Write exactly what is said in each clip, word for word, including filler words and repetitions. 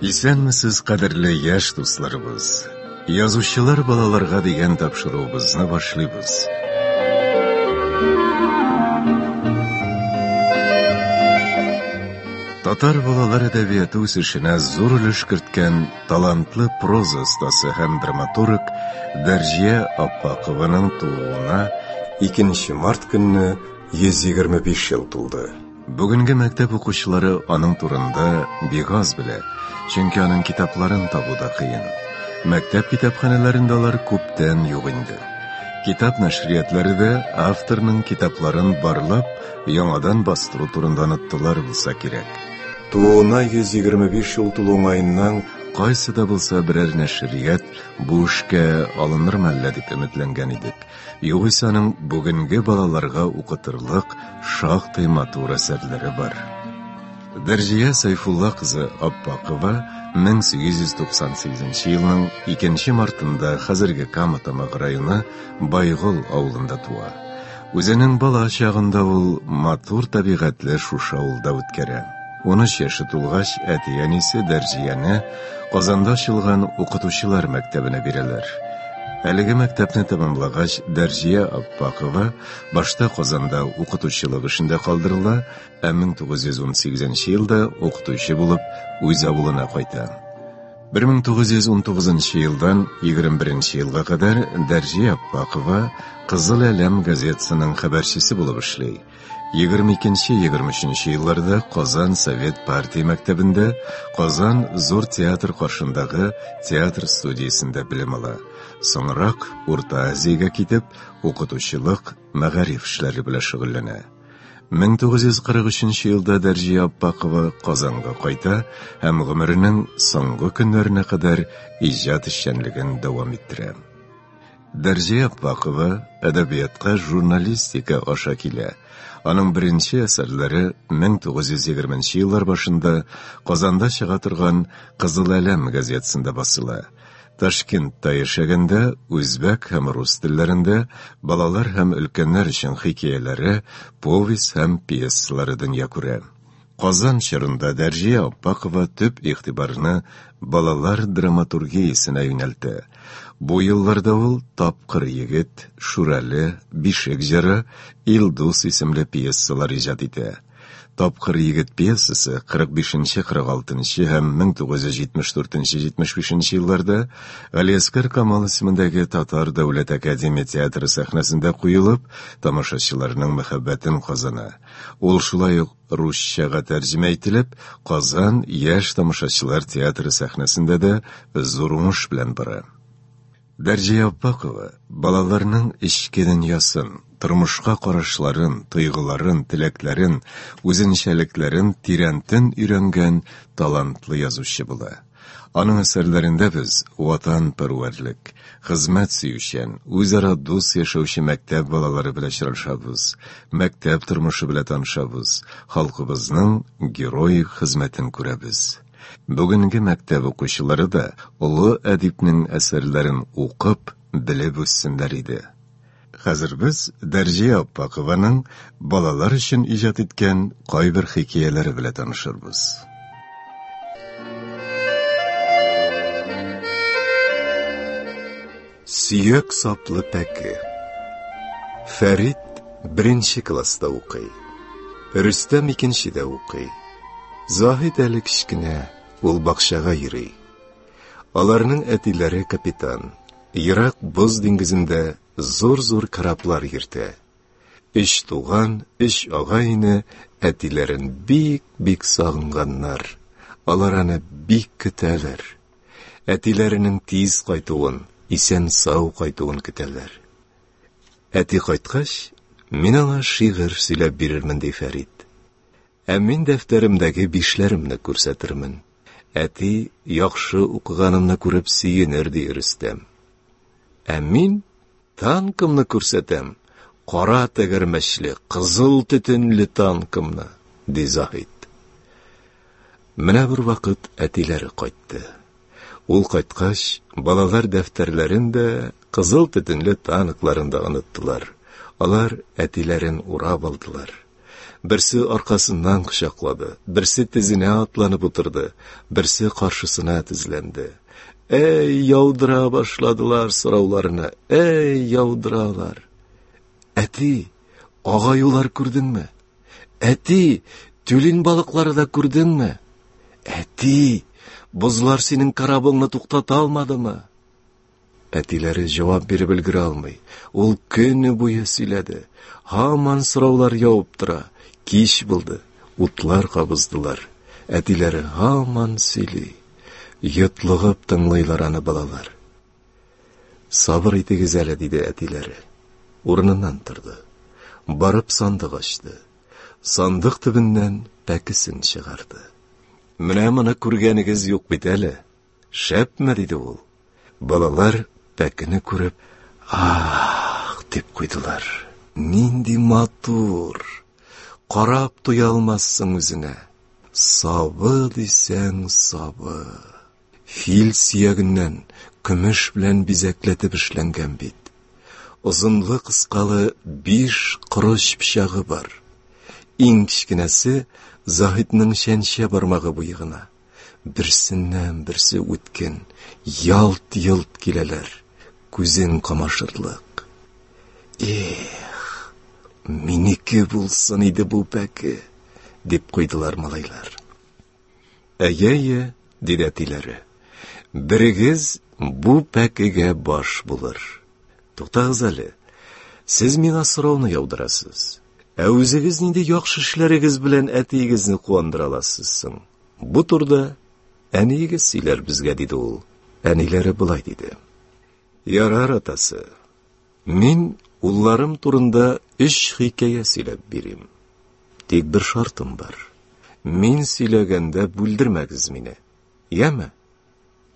Исәнмесез, кадерле яшь дусларыбыз. Язучылар балаларга дигән тапшыруыбызны башлыйбыз. Татар балалар әдәбияты үсешенә зур өлеш керткән талантлы проза остасы һәм драматург Дәрҗия Аппакованың тууына икенче март көнне йөз егерме биш ел тулды. Бүгенге мәктәп укучылары аның турында бик аз белә, чөнки аның китапларын табу да кыен. Мәктәп китапханәләрендә алар күптән юк инде. Китап нәшриятләре дә авторның китапларын барлап, яңадан бастыру турында оныттылар булса кирәк. Тууына йөз егерме биш ел тулу уңаеннан кайсы да булса берәр нәшрият бу эшкә алыныр мәллә дип өметләнгән идек. Югыйсә аның бүгенге балаларга укытырлык шактый матур әсәрләре бар. Дәрҗия Сайфулла кызы Аппакова мең сигез йөз туксан сигезенче елның икенче мартында хәзерге Кама Тамагы районы Байгол авылында туа. Үзенең бала чагында ул матур табигатьле шушы авылда үткәрә. Ун өч яше тулгач, әти-әнисе Дәрҗияне Казанда ачылган укытучылар мәктәбенә бирәләр. Әлеге мәктәпне тәмамлагач, Дәрҗия Аппакова башта Казанда укытучылык эшендә калдырыла, ә мең тугыз йөз ун сигезенче елда укытучы булып үз авылына кайта. Бер мең тугыз йөз ун тугызынчы елдан егерме беренче елга кадәр Дәрҗия Аппакова Кызыл Әләм газетасының хәбәрчесе булып эшли. Егерме икенче, егерме өченче елларда Казан Совет партия мәктәбендә, Казан Зур театр каршындагы театр студиясендә белем ала. Соңрак Урта Азиягә китеп, укытучылык, мәгариф эшләре белән шөгыльләнә. Мең тугыз йөз кырык өченче елда Дәрҗия Аппакова Казанга кайта һәм гомеренең соңгы көннәренә кадәр иҗат эшчәнлеген дәвам иттерә. Дәрҗия Аппакова әдәбиятка журналистика аша килә. Аның беренче әсәрләре мең тугыз йөз егерменче еллар башында Казанда чыга торган Кызыл Әләм газетасында басыла. Ташкентта яшәгәндә үзбәк һәм рус телләрендә балалар һәм өлкәннәр өчен хикәяләре, повесть һәм пьесалары дөнья күрә. Казан чорында Дәрҗия Аппакова төп игътибарны балалар драматургиясенә юнәлтә. Бу елларда ул Тапкыр егет, Шүрәле, Бишек җыры, Илдус исемле пьесалар иҗат итә. Тапкыр егет пьесасы кырык бишенче, кырык алтынчы һәм мең тугыз йөз җитмеш дүртенче, җитмеш бишенче елларда Галиәсгар Камал исемендәге Татар дәүләт академия театры сәхнәсендә куелып, тамашачыларның мәхәббәтен казана. Ул шулай ук русчага тәрҗемә ителеп, Казан яшь тамашачылар театры сәхнәсендә дә зур уңыш белән бара. Дәрҗия Аппакова балаларның эчке дөньясын, тормышка карашларын, тойгыларын, теләкләрен, үзенчәлекләрен тирәнтен өйрәнгән талантлы язучы була. Аның әсәрләрендә без ватанпәрвәрлек, хезмәт сөючән, үзара дус яшәүче мәктәп балалары белән очрашабыз, мәктәп тормышы белән танышабыз, халкыбызның героик хезмәтен күрәбез. Бүгенге мәктәп укучылары да олы әдипнең әсәрләрен укып, белеп үссеннәр иде. Хәзер без Дәрҗия Аппакованың балалар өчен иҗат иткән кайбер хикәяләре белән танышырбыз. Сөяк саплы пәке. Фәрит беренче класста укый. Рөстәм икенчедә укый. Заһид әле кечкенә, ул бакчага йөри. Аларның әтиләре капитан. Ерак боз диңгезендә зур-зур кораблар йөртә. Өч туган, өч агай-эне әтиләрен бик-бик сагынганнар. Алар аны бик көтәләр. Әтиләренең тиз кайтуын, исән-сау кайтуын көтәләр. Әти кайткач, мин аңа шигырь сөйләп бирермен, ди Фәрит. Ә мин дәфтәремдәге бишләремне күрсәтермен. Әти яхшы укыганымны күреп сөенер, ди Рөстәм. Ә мин танкымны күрсәтәм, кара тәгәрмәчле, кызыл төтенле танкымны, ди Заһид. Менә бер вакыт әтиләре кайтты. Ул кайткач, балалар дәфтәрләрен дә, кызыл төтенле танкларын да оныттылар. Алар әтиләрен урап алдылар. Берсе аркасыннан кочаклады, берсе тезенә атланып утырды, берсе каршысына тезләнде. Әй, яудыра башладылар сорауларны, әй, яудыралар. Әти, агаюлар күрдеңме? Әти, тюлень балыклары да күрдеңме? Әти, бозлар синең корабыңны туктата алмадымы? Әтиләре җавап биреп өлгерә алмый. Ул көне буе сөйләде. Һаман сораулар явып тора. Кич булды, утлар кабыздылар. Әтиләре һаман сөйли. Йотлыгып тыңлыйлар аны балалар. Сабыр итегез әле, диде әтиләре. Урыныннан торды. Барып сандык ачты. Сандык төбеннән пәкесен чыгарды. Менә моны күргәнегез юк бит әле. Шәпме, диде ул. Балалар пәкене күреп, ах, дип куйдылар. Нинди матур! Карап туя алмассың үзенә. Сабы дисәң сабы. Фил сөягеннән көмеш белән бизәкләтеп эшләнгән бит. Озынлы-кыскалы биш корыч пычагы бар. Иң кечкенәсе Заһидның чәнчә бармагы буе гына. Берсеннән берсе үткен, ялт-йолт киләләр, күзең камашырлык. Эх, минеке булсын иде бу пәке, дип куйдылар малайлар. Әйе-әйе, диде әтиләре. Берегез бу пәкегә баш булыр. Туктагыз әле. Сез миңа сорауны яудырасыз. Ә үзегез нинди яхшы эшләрегез белән әтиегезне куандыра аласыз соң? Бу турыда әниегез сөйләр безгә, диде ул. Әниләре болай диде. Ярар, атасы. Мин улларым турында өч хикәя сөйләп бирим. Тик бер шартым бар. Мин сөйләгәндә бүлдермәгез мине. Яме?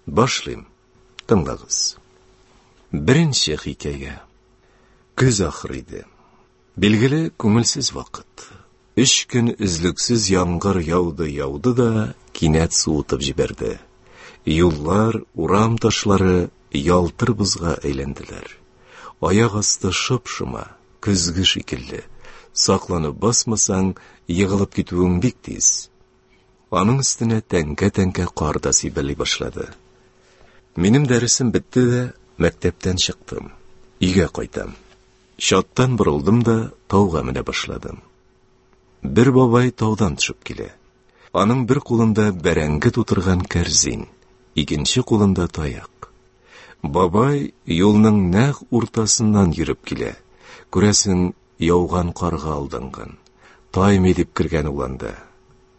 Башлыйм. Тыңлагыз. Беренче хикәя. Көз ахыры иде. Билгеле, күңелсез вакыт. Өч көн өзлексез яңгыр яуды-яуды да кинәт суытып җибәрде. Юллар, урам ташлары ялтыр бозга әйләнделәр. Аяк асты шып-шома, көзге шикелле. Сакланып басмасаң, егылып китүең бик тиз. Аның өстенә тәңкә-тәңкә кар да сибәли башлады. Минем дәресем бетте дә, мәктәптән чыктым. Өйгә кайтам. Чаттан борылдым да тауга менә башладым. Бер бабай таудан төшеп килә. Аның бер кулында бәрәңге тутырган кәрзин, икенче кулында таяк. Бабай юлның нәкъ уртасыннан йөреп килә. Күрәсең, яуган карга алданган. Таймый дип кергән ул анда.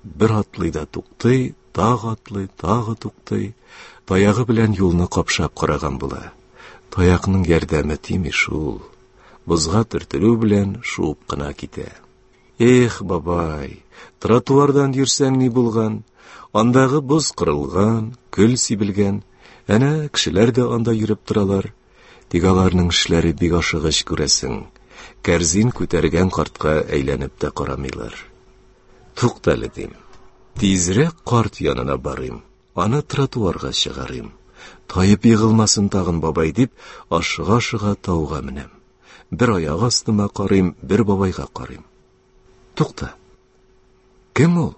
Бер атлый да туктый, тагы атлый, тагы туктый. Таягы белән юлны капшап караган була. Таякның ярдәме тими шул. Бозга төртелү белән шуып кына китә. Эх, бабай, тротуардан йөрсәң ни булган? Андагы боз кырылган, көл сибелгән. Әнә кешеләр дә анда йөреп торалар. Тик аларның эшләре бик ашыгыч, күрәсең. Кәрзин күтәргән картка әйләнеп тә карамыйлар. Туктале, дим. Тизрәк карт янына барыйм, аны тротуарга чыгарыйм. Таеп егылмасын тагын бабай дип, ашыга-ашыга тауга менәм. Бер аяк астыма карыйм, бер бабайга карыйм. Тукта. Кем ул?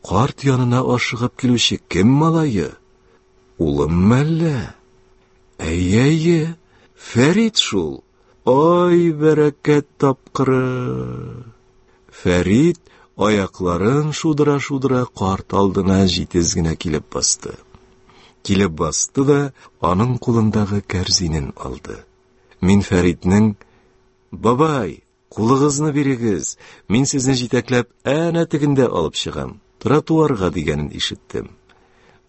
Карт янына ашыгып килүче кем малае? Улым мәллә? Әйе-әйе, Фәрит шул. Ай, бәрәкәт тапкыры. Фәрит аякларын шудыра-шудыра карт алдына җитез генә килеп басты. Килеп басты да аның кулындагы кәрзинен алды. Мин Фәритнең: "Бабай, кулыгызны бирегез, мин сезне җитәкләп әнә тегендә алып чыгам, тротуарга" дигәнен ишеттем.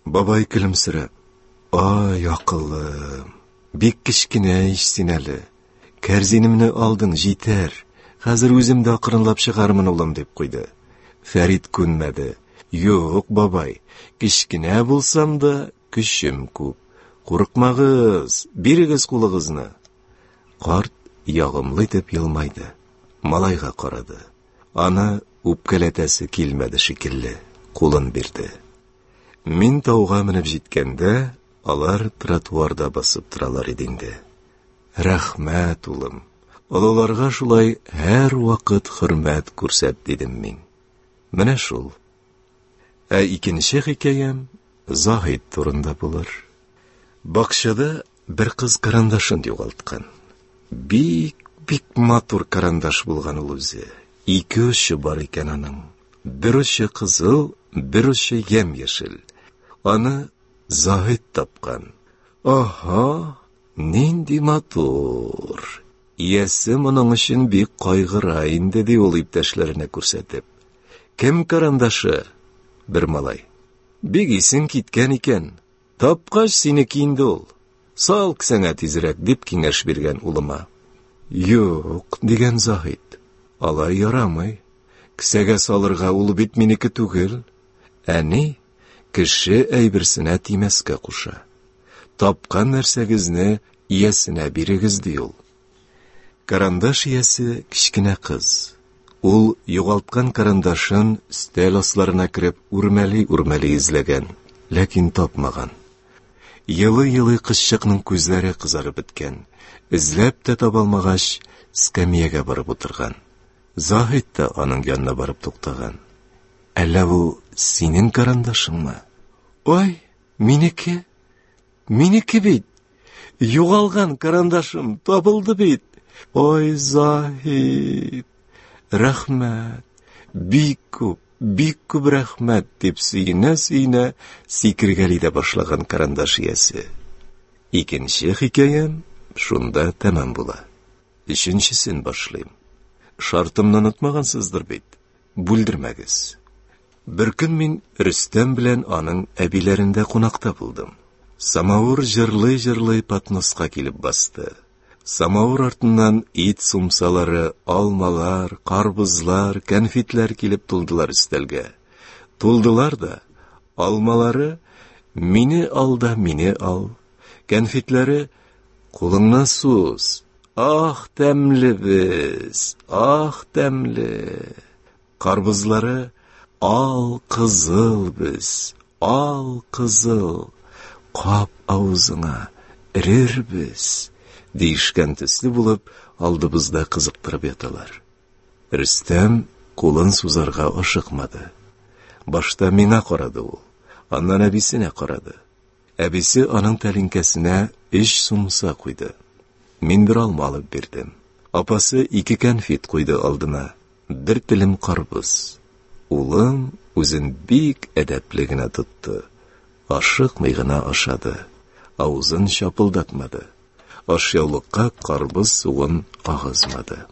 Бабай көлемсерәп: "Ай, акыллым, бик кечкенә ич син әле. Кәрзинемне алдың, җитәр. Хәзер үзем дә акрынлап чыгармын, улым", дип куйды. Фәрит күнмәде. "Юк, бабай, кечкенә булсам да көчем күп. Курыкмагыз, бирегез кулыгызны." Карт ягымлы итеп елмайды. Малайга карады. Аны үпкәләтәсе килмәде шикелле, кулын бирде. Мин тауга менеп җиткәндә, алар тротуарда басып торалар иде инде. Рәхмәт, улым. Олыларга шулай һәрвакыт хөрмәт күрсәт, дидем мин. Менә шул. Ә икенче хикәям Заһид турында булыр. Бакчада бер кыз карандашын югалткан. Бик, бик матур карандаш булган ул үзе. Ике очы бар икән аның. Бер очы кызыл, бер очы ямь-яшел. Аны Заһид тапкан. Аһа, нинди матур! Иясе моның өчен бик кайгыра инде, ди ул иптәшләренә күрсәтеп. Кем карандашы? Бер малай. Бик исең киткән икән. Тапкач синеке инде ул. Сал кесәңә тизрәк, дип киңәш биргән улыма. Юк, дигән Заһид. Алай ярамый. Кесәгә салырга ул бит минеке түгел. Әни кеше әйберсенә тимәскә куша. Тапкан нәрсәгезне иясенә бирегез, ди ул. Карандаш иясе кечкенә кыз. Ул югалткан карандашын өстәл асларына кереп үрмәли-үрмәли эзләгән, ләкин тапмаган. Елый-елый кызчыкның күзләре кызарып беткән. Эзләп тә таба алмагач, эскәмиягә барып утырган. Заһид та аның янына барып туктаган. Әллә бу синең карандашыңмы? Ой, минеке! Минеке бит! Югалган карандашым табылды бит! Ой, Заһид! Рәхмәт! Бик күп, бик күп рәхмәт, дип сөенә-сөенә сикергәли дә башлаган карандаш иясе. Икенче хикәям шунда тәмам була. Өченчесен башлыйм. Шартымны онытмагансыздыр бит. Бүлдермәгез. Бер көн мин Рөстәм белән аның әбиләрендә кунакта булдым. Самавыр җырлый-җырлый подноска килеп басты. Самавыр артыннан ит сумсалары, алмалар, карбызлар, кәнфитләр килеп тулдылар өстәлгә. Тулдылар да, алмалары мине ал да мине ал, кәнфитләре кулыңны суз, ах тәмле без, ах тәмле. Карбызлары ал кызыл без, ал кызыл, кап авызыңа эрербез, диешкән төсле булып алдыбызда кызыктырып яталар. Рөстәм кулын сузарга ашыкмады. Башта миңа карады ул, аннан әбисенә карады. Әбисе аның тәлинкәсенә өч сумса куйды. Мин бер алма алып бирдем. Апасы ике кәнфит куйды алдына, бер телем карбыз. Улым үзен бик әдәпле генә тотты. Ашыкмый гына ашады, авызын чапылдатмады. Ашъяулыкка карбыз суын агызмады.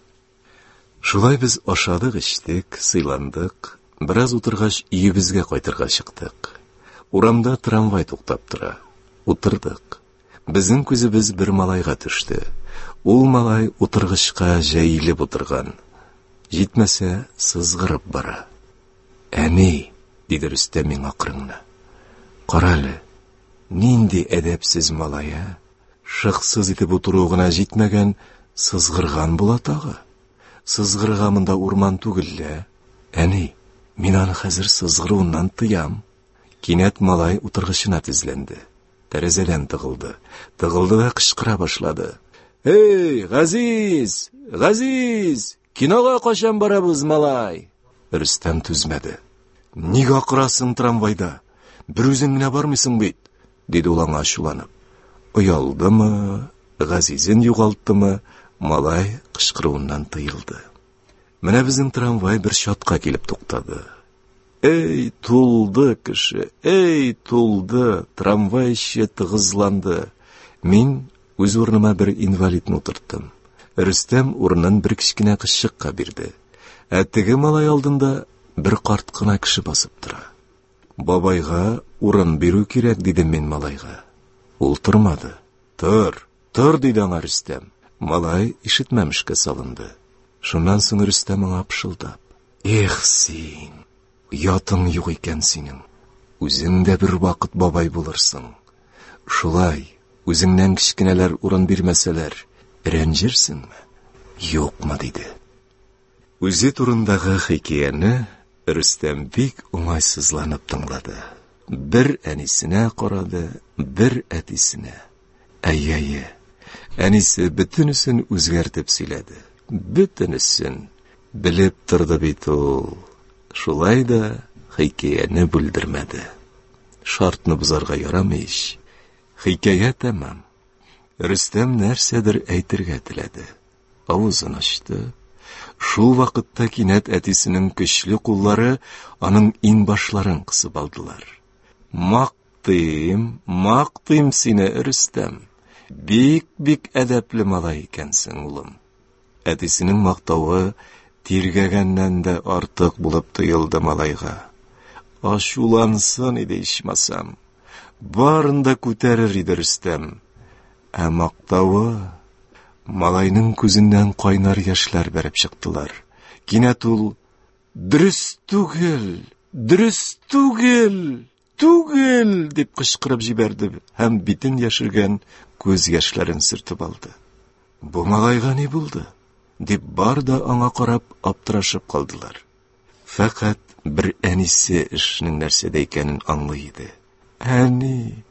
Шулай без ашадык, эчтек, сыйландык. Бераз утыргач, өебезгә кайтырга чыктык. Урамда трамвай туктап тора. Утырдык. Безнең күзебез бер малайга төште. Ул малай утыргычка җәелеп утырган. Җитмәсә, сызгырып бара. Әни, диде Рөстәм миңа акрын гына. Кара әле, нинди әдәпсез малай, ә? Шыксыз итеп утыруы гына җитмәгән, сызгырган була тагы. Сызгырга монда урман түгел лә. Әни, мин аны хәзер сызгыруыннан тыям. Кинәт малай утыргычына тезләнде. Тәрәзәдән тыгылды. Тыгылды да кычкыра башлады. Эй, Газиз! Газиз! Кинога качан барабыз, малай? Рөстәм түзмәде. Нигә акырасың трамвайда? Бер үзең генә бармыйсың бит, диде ул аңа ачуланып. Оялдымы, Газизен югалттымы, малай кычкыруыннан тыелды. Менә безнең трамвай бер чатка килеп туктады. Эй, тулды кеше, эй, тулды, трамвай эче тыгызланды. Мин үз урыныма бер инвалидны утырттым. Рөстәм урынын бер кечкенә кызчыкка бирде. Ә теге малай алдында бер карт кына кеше басып тора. Бабайга урын бирү кирәк, дидем мин малайга. Ул тормады. Тор, тор, диде аңа Рөстәм. Малай ишетмәмешкә салынды. Шуннан соң Рөстәм аңа пышылдап: Эх син, оятың юк икән синең. Үзең дә бер вакыт бабай булырсың. Шулай, үзеңнән кечкенәләр урын бирмәсәләр, рәнҗерсеңме? Юкмы, диде. Үзе турындагы хикәяне Рөстәм бик уңайсызланып тыңлады. Бер әнисенә карады, бер әтисенә. Әй-әй, әнисе бөтенесен үзгәртеп сөйләде. Бөтенесен белеп торды бит ул. Шулай да хикәяне бүлдермәде. Шартны бозарга ярамый ич. Хикәя тәмам. Рөстәм нәрсәдер әйтергә теләде. Авызын ачты. Шул вакытта кинәт әтисенең көчле куллары аның иңбашларын кысып алдылар. Мактыйм, мактыйм сине, Рөстәм. Бик-бик әдәпле малай икәнсең, улым. Әтисенең мактавы тиргәгәннән дә артык булып тоелды малайга. Ачулансын иде ичмасам. Барын да күтәрер иде Рөстәм. Ә мактавы... Малайның күзеннән кайнар яшьләр бәреп чыктылар. Кинәт ул: "Дөрес түгел, дөрес түгел, түгел!" дип кычкырып җибәрде һәм битен яшергән күз яшьләрен сөртеп алды. Бу малайга ни булды? Дип бар да аңа карап аптырашып калдылар. Фәкать бер әнисе эшнең нәрсәдә икәнен аңлый иде. Әни,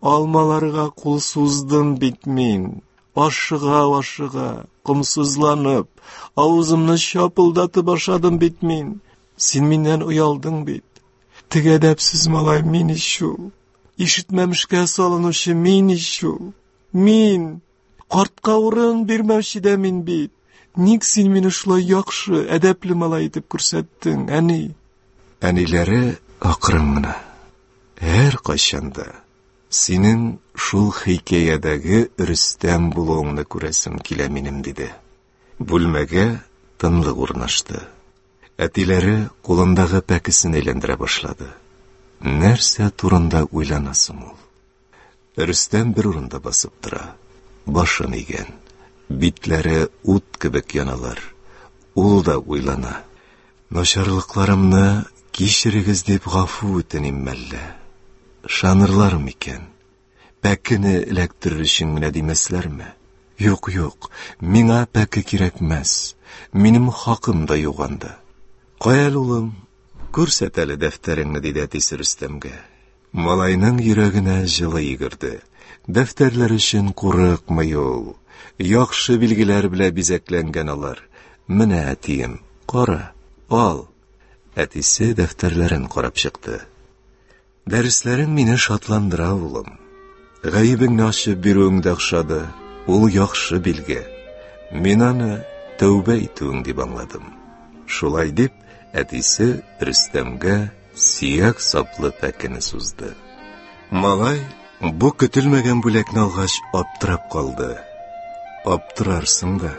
алмаларга кул суздым бит мин. Ашыга-ашыга, комсызланып, авызымны чапылдатып ашадым бит мин. Син миннән оялдың бит. Теге әдәпсез малай мин ич ул. Ишетмәмешкә салынучы мин ич ул. Мин! Картка урын бирмәүче дә мин бит. Ник син мине шулай яхшы, әдәпле малай итеп күрсәттең, әни? Әниләре акрын гына: "Һәркайчан да синең шул хикәядәге Рөстәм булуыңны күрәсем килә минем", диде. Бүлмәгә тынлык урнашты. Әтиләре кулындагы пәкесен әйләндерә башлады. Нәрсә турында уйлана соң ул? Рөстәм бер урында басып тора. Башын игән. Битләре ут кебек яналар. Ул да уйлана. Начарлыкларымны кичерегез дип гафу үтеним мәллә? Ышанырлар микән? Пәкене эләктерер өчен генә димәсләрме? Юк, юк, миңа пәке кирәкмәс. Минем хакым да юк анда. Кая әле, улым, күрсәт әле дәфтәреңне, диде әтисе Рөстәмгә. Малайның йөрәгенә җылы йөгерде. Дәфтәрләр өчен курыкмый ул. Яхшы билгеләр белән бизәкләнгән алар. Менә, әтием, кара, ал. Әтисе дәфтәрләрен карап чыкты. Дәресләрең мине шатландыра, улым. Гаебеңне ачып бирүең дә охшады. Ул яхшы билге. Мин аны тәүбә итүең дип аңладым. Шулай дип, әтисе Рөстәмгә сөяк саплы пәкене сузды. Малай бу көтелмәгән бүләкне алгач аптырап калды. Аптырарсың да.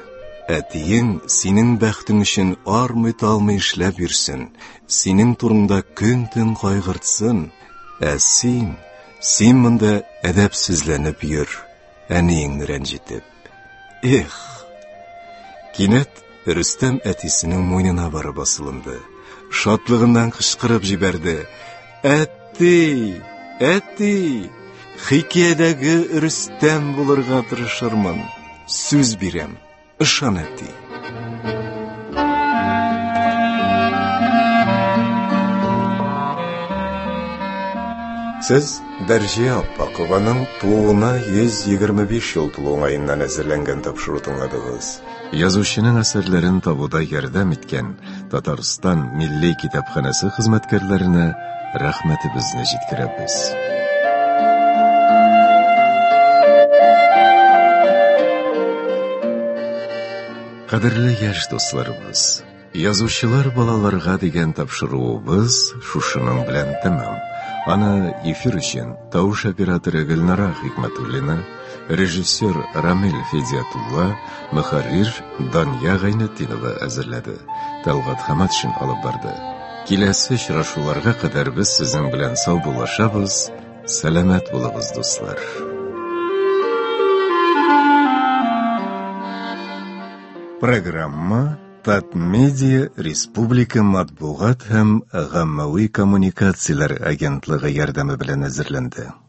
Әтиең синең бәхтең өчен армый-талмый эшләп йөрсен, синең турыңда көн-төн кайгыртсын, ә син, син монда әдәпсезләнеп йөр, әниеңне рәнҗетеп. Эх! Кинәт Рөстәм әтисенең муенына барып асылынды. Шатлыгыннан кычкырып җибәрде: "Әти! Әти! Хикәядәге Рөстәм булырга тырышырмын. Сүз бирәм. Ышан, әти." Сез Дәрҗия Аппакованың тууына йөз егерме биш ел тулу уңаеннан әзерләнгән тапшыру тыңладыгыз. Язучының әсәрләрен табуда ярдәм иткән Татарстан Милли китапханәсе хезмәткәрләренә рәхмәтебезне җиткерәбез. Кадерле яшь дусларыбыз, Язучылар балаларга дигән тапшыруыбыз шушының белән тәмам. Аны эфир өчен тавыш операторы Гөлнара Хикмәтуллина, режиссер Рамил Федиатулла, мөхәррир Дания Гайнетдинова әзерләде. Талгат Хаматшин алып барды. Киләсе очрашуларга кадәр без сезнең белән саубуллашабыз. Сәламәт булыгыз, дуслар. Программа Татмедиа Республика матбугат һәм гаммәви коммуникацияләр агентлыгы ярдәме белән әзерләнде.